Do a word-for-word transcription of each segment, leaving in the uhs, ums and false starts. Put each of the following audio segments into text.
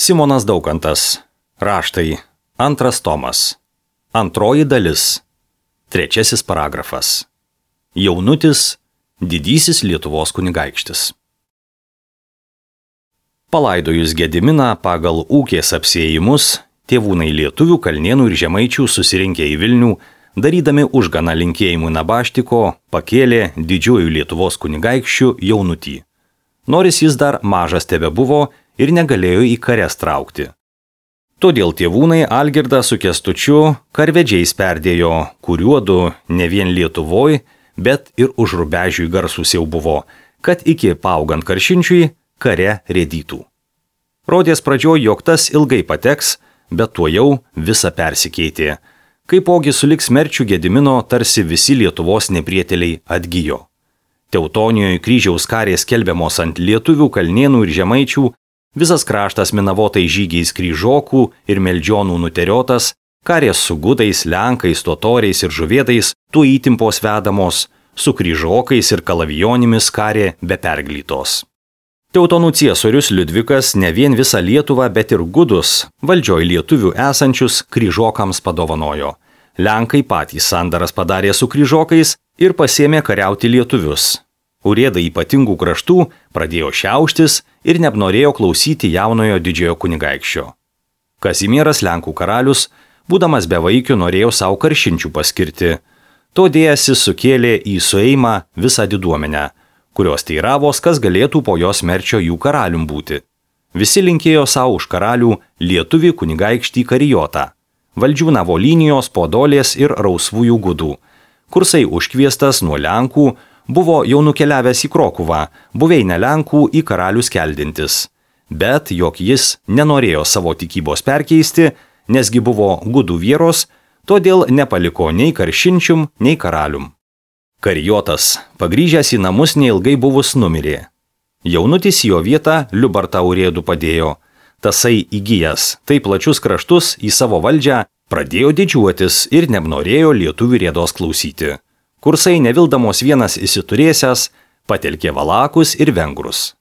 Simonas Daukantas. Raštai. Antras tomas. Antroji dalis. Trečiasis paragrafas. Jaunutis, didysis Lietuvos kunigaikštis. Palaidojus Gediminą pagal ūkės apsėjimus, tėvūnai lietuvių, kalnėnų ir žemaičių susirinkę į Vilnių, darydami užganą linkėjimų Nabaštiko, pakėlė didžiuoju Lietuvos kunigaikščiu jaunutį. Nors jis dar mažas tebebuvo ir negalėjo į kares traukti. Todėl tėvūnai Algirdą su Kęstučiu karvedžiais perdėjo, kuriuodu ne vien Lietuvoj, bet ir už Rubežiui garsus jau buvo, kad iki paaugant Karšinčiui kare rėdytų. Rodės pradžioj, jog tas ilgai pateks, bet tuo jau visa persikeitė. Kaipogi sulig smerčiu Gedimino tarsi visi Lietuvos neprieteliai atgijo. Teutonijoje kryžiaus karės skelbiamos ant lietuvių, kalnėnų ir žemaičių, visas kraštas minavotai žygiais kryžokų ir meldžionų nuteriotas, karės su gudais, lenkais, totoriais ir žuvėdais, tuo įtimpos vedamos, su kryžokais ir kalavijonimis karė be perglytos. Teutonų ciesorius Liudvikas ne vien visą Lietuvą, bet ir gudus, valdžioj lietuvių esančius kryžokams padovanojo. Lenkai patys sandaras padarė su kryžokais ir pasėmė kariauti lietuvius. Urėdai ypatingų kraštų pradėjo šiauštis ir neapnorėjo klausyti jaunojo didžiojo kunigaikščio. Kazimieras Lenkų karalius, būdamas bevaikiu, norėjo savo Karšinčių paskirti. To dėjasi sukėlė į sueimą visą diduomenę, kurios teiravos, kas galėtų po jos merčio jų karalium būti. Visi linkėjo savo už karalių lietuvį kunigaikštį Karijotą, Valdžiūnavo linijos, Podolės ir Rausvųjų gudų. Kursai užkviestas nuo Lenkų, buvo jau nukeliavęs į Krokuvą, buveinę Lenkų į karalius keldintis. Bet jog jis nenorėjo savo tikybos perkeisti, nesgi buvo gudų vieros, todėl nepaliko nei Karšinčium, nei karalium. Karijotas, pagrįžęs į namus neilgai buvus, numirė. Jaunutis jo vietą Liubartą urėdų padėjo. Tasai įgyjęs taip plačius kraštus į savo valdžią, pradėjo didžiuotis ir neapnorėjo lietuvių rėdos klausyti. Kursai nevildamos vienas įsiturėsęs, patelkė valakus ir vengrus.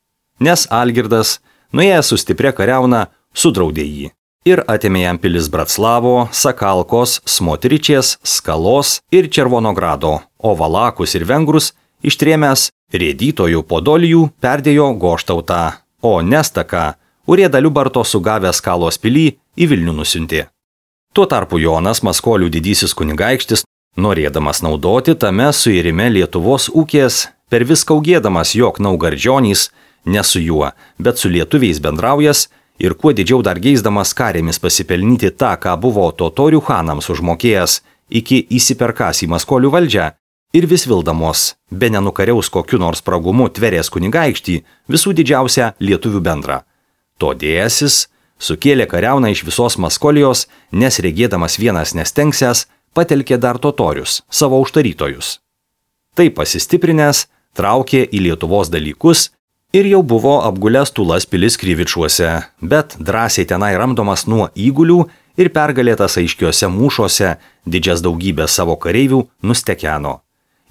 Nes Algirdas, nuėjęs su stipria kariauna, sudraudė jį ir atėmė jam pilis Bratslavo, Sakalkos, Smotričės, Skalos ir Červonogrado, o valakus ir vengrus ištrėmęs rėdytojų Podolijų perdėjo Goštautą, o Nestaką urėdą Liubarto sugavęs Skalos pilį į Vilnių nusiuntė. Tuo tarpu Jonas Maskolių didysis kunigaikštis, norėdamas naudoti tame suirime Lietuvos ūkės, per viską augėdamas, jog Naugardžionys, ne su juo, bet su lietuviais bendraujas ir kuo didžiau dar geisdamas karėmis pasipelnyti tą, ką buvo totorių chanams užmokėjęs iki įsiperkas į Maskolių valdžią, ir vis vildamos, be nenukariaus kokiu nors spragumu tverės kunigaikštį, visų didžiausią lietuvių bendrą. To dėjasis sukėlė kariauną iš visos Maskolijos, nes regėdamas vienas nestengsęs, patelkė dar totorius, savo užtarytojus. Taip pasistiprinęs, traukė į Lietuvos dalykus ir jau buvo apgulęs Tulas pilis Kryvičuose, bet drąsiai tenai ramdomas nuo įgulių ir pergalėtas aiškiuose mūšuose didžias daugybės savo kareivių nustekeno.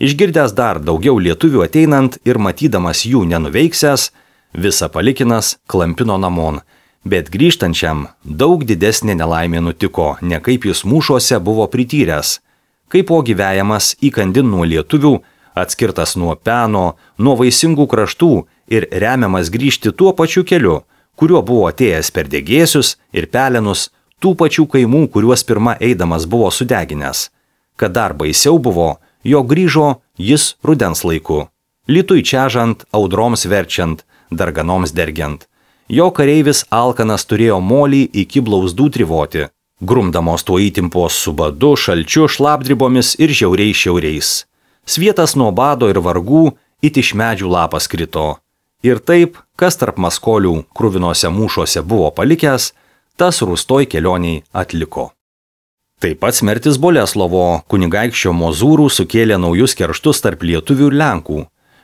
Išgirdęs dar daugiau lietuvių ateinant ir matydamas jų nenuveiksęs, visą palikinas klampino namon. Bet grįžtančiam daug didesnė nelaimė nutiko, ne kaip jis mūšuose buvo prityręs. Kaipogi vejamas įkandin nuo lietuvių, atskirtas nuo peno, nuo vaisingų kraštų ir remiamas grįžti tuo pačiu keliu, kuriuo buvo atėjęs per degėsius ir pelenus, tų pačių kaimų, kuriuos pirma eidamas buvo sudeginęs. Kad dar baisiau buvo, jo grįžo jis rudens laiku, lytui čežant, audroms verčiant, darganoms dergiant. Jo kareivis alkanas turėjo molį iki blauzdų trivoti, grumdamos tuo įtimpos su badu, šalčiu, šlapdribomis ir žiauriais šiauriais. Svietas nuo bado ir vargų it iš medžių lapas krito. Ir taip, kas tarp Maskolių kruvinose mūšuose buvo palikęs, tas rūstoj kelioniai atliko. Taip pat smertis Boleslovo kunigaikščio Mozūrų sukėlė naujus kerštus tarp lietuvių ir Lenkų.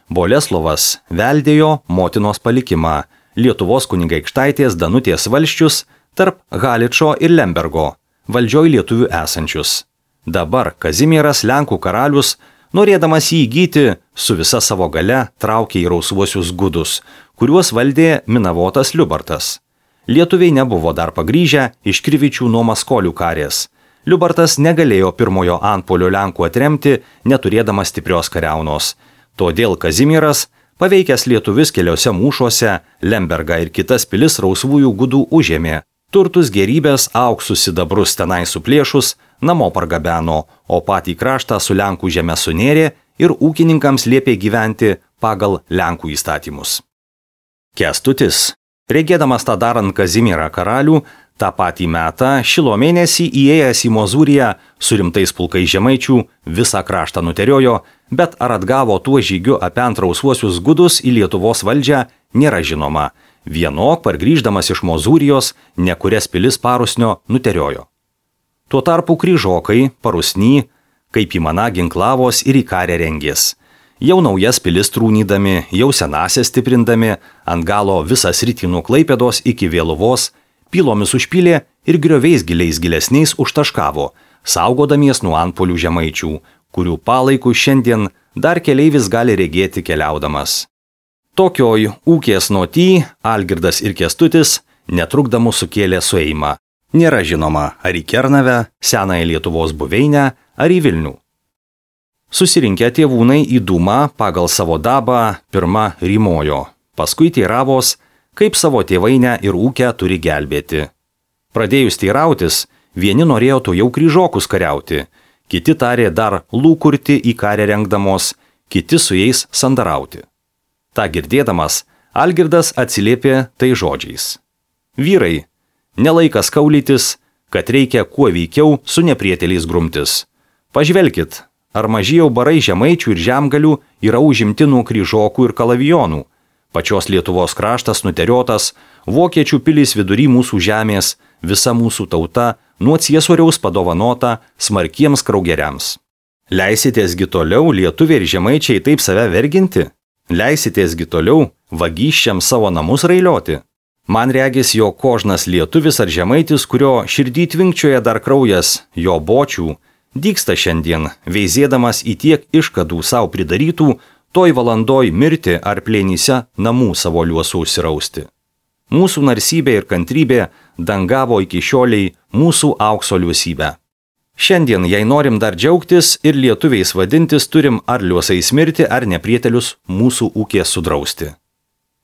Boleslovas veldėjo motinos palikimą, Lietuvos kunigaikštaitės Danutės valsčius tarp Haličo ir Lembergo, valdžioj lietuvių esančius. Dabar Kazimieras Lenkų karalius, norėdamas jį įgyti, su visa savo gale traukė į Rausvuosius gudus, kuriuos valdė minavotas Liubartas. Lietuviai nebuvo dar pagrįžę iš Krivičių nuo Maskolių karės. Liubartas negalėjo pirmojo antpuolio Lenkų atremti, neturėdamas stiprios kariaunos. Todėl Kazimieras, paveikęs lietuvis keliose mūšuose, Lembergą ir kitas pilis rausvųjų gudų užėmė. Turtus gerybės, auksus sidabrus tenai suplėšus, namo pargabeno, o patį kraštą su Lenkų žeme sunėrė ir ūkininkams liepė gyventi pagal Lenkų įstatymus. Kęstutis, regėdamas tą darant Kazimierą karalių, tą patį metą šilo mėnesį įėjęs į Mozūriją su rimtais pulkais žemaičių visą kraštą nuteriojo, bet ar atgavo tuo žygiu apent rausvuosius gudus į Lietuvos valdžią nėra žinoma. Vienok pargrįždamas iš Mozūrijos nekurias pilis Parusnio nuteriojo. Tuo tarpu kryžokai, Parusny, kaip įmana ginklavos ir į karę rengės. Jau naujas pilis trūnydami, jau senasias stiprindami, ant galo visą sritį nuo Klaipėdos iki Vėluvos, pilomis užpylė ir grioviais giliais gilesniais užtaškavo, saugodamies nuo antpuolių žemaičių, kurių palaikų šiandien dar keleivis gali regėti keliaudamas. Tokioj ūkės noty Algirdas ir Kęstutis netrukdamų sukėlė sueimą. Nėra žinoma, ar į Kernavę, senąją Lietuvos buveinę, ar į Vilnių. Susirinkę tėvūnai į dūmą pagal savo dabą pirma rymojo, paskui teiravos, kaip savo tėvainę ir ūkę turi gelbėti. Pradėjus teirautis, vieni norėjo to jau kryžokus kariauti, kiti tarė dar lūkurti į karę rengdamos, kiti su jais sandarauti. Ta girdėdamas, Algirdas atsiliepė tai žodžiais. Vyrai, nelaikas kaulytis, kad reikia kuo veikiau su neprieteliais grumtis. Pažvelkit, ar maži jau barai žemaičių ir žemgalių yra užimti nuo kryžokų ir kalavijonų. Pačios Lietuvos kraštas nuteriotas, vokiečių pilys vidury mūsų žemės, visa mūsų tauta nuo ciesoriaus padovanota smarkiems kraugeriams. Leisitėsgi toliau lietuviai ir žemaičiai taip save verginti? Leisitėsgi toliau vagysčiam savo namus railioti? Man regis, jo kožnas lietuvis ar žemaitis, kurio širdį tvinkčioje dar kraujas, jo bočių, dygsta šiandien, veizėdamas į tiek iškadų savo pridarytų, toj valandoj mirti ar plėnyse namų savo liuosų užsirausti. Mūsų narsybė ir kantrybė dangavo iki šioliai mūsų aukso liuosybę. Šiandien, jei norim dar džiaugtis ir lietuviais vadintis, turim ar liuosais mirti, ar neprietelius mūsų ūkės sudrausti.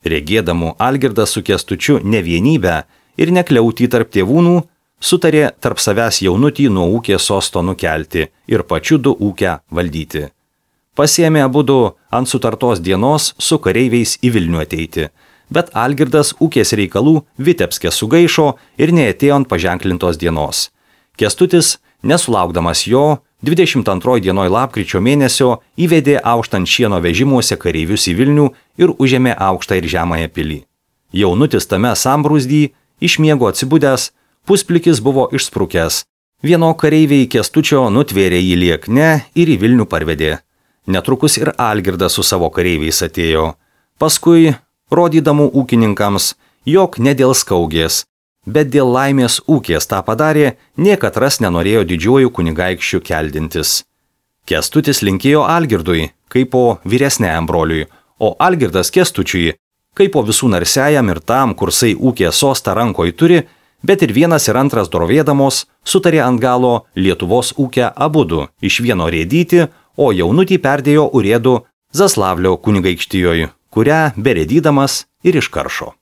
Regėdamų Algirdas su Kęstučiu nevienybę ir nekliautį tarp tėvūnų, sutarė tarp savęs jaunutį nuo ūkės sosto nukelti ir pačiu du ūkę valdyti. Pasiėmė abudu ant sutartos dienos su kareiviais į Vilnių ateiti, bet Algirdas ūkės reikalų Vitebske sugaišo ir neatėjo ant paženklintos dienos. Kęstutis, nesulaukdamas jo, dvidešimt antroji dienoj lapkričio mėnesio įvedė auštant šieno vežimuose kareivius į Vilnių ir užėmė aukštą ir žemąją pilį. Jaunutis tame sambrūzdy, iš miego atsibudęs, pusplikis buvo išsprukęs. Vieno kareiviai Kęstučio nutvėrė jį liekne ir į Vilnių parvedė. Netrukus ir Algirdas su savo kareiviais atėjo. Paskui, rodydamų ūkininkams, jog ne dėl skaugės, bet dėl laimės ūkės tą padarė, niekatras nenorėjo didžiuoju kunigaikščiu keldintis. Kęstutis linkėjo Algirdui, kaip po vyresniajam broliui, o Algirdas Kęstučiui, kaip po visų narsiajam ir tam, kursai ūkė sostą rankoj turi, bet ir vienas ir antras dorovėdamos sutarė ant galo Lietuvos ūkę abudu iš vieno rėdyti, o jaunutį perdėjo urėdu Zaslavlio kunigaikštijoj, kurią berėdydamas ir iškaršo.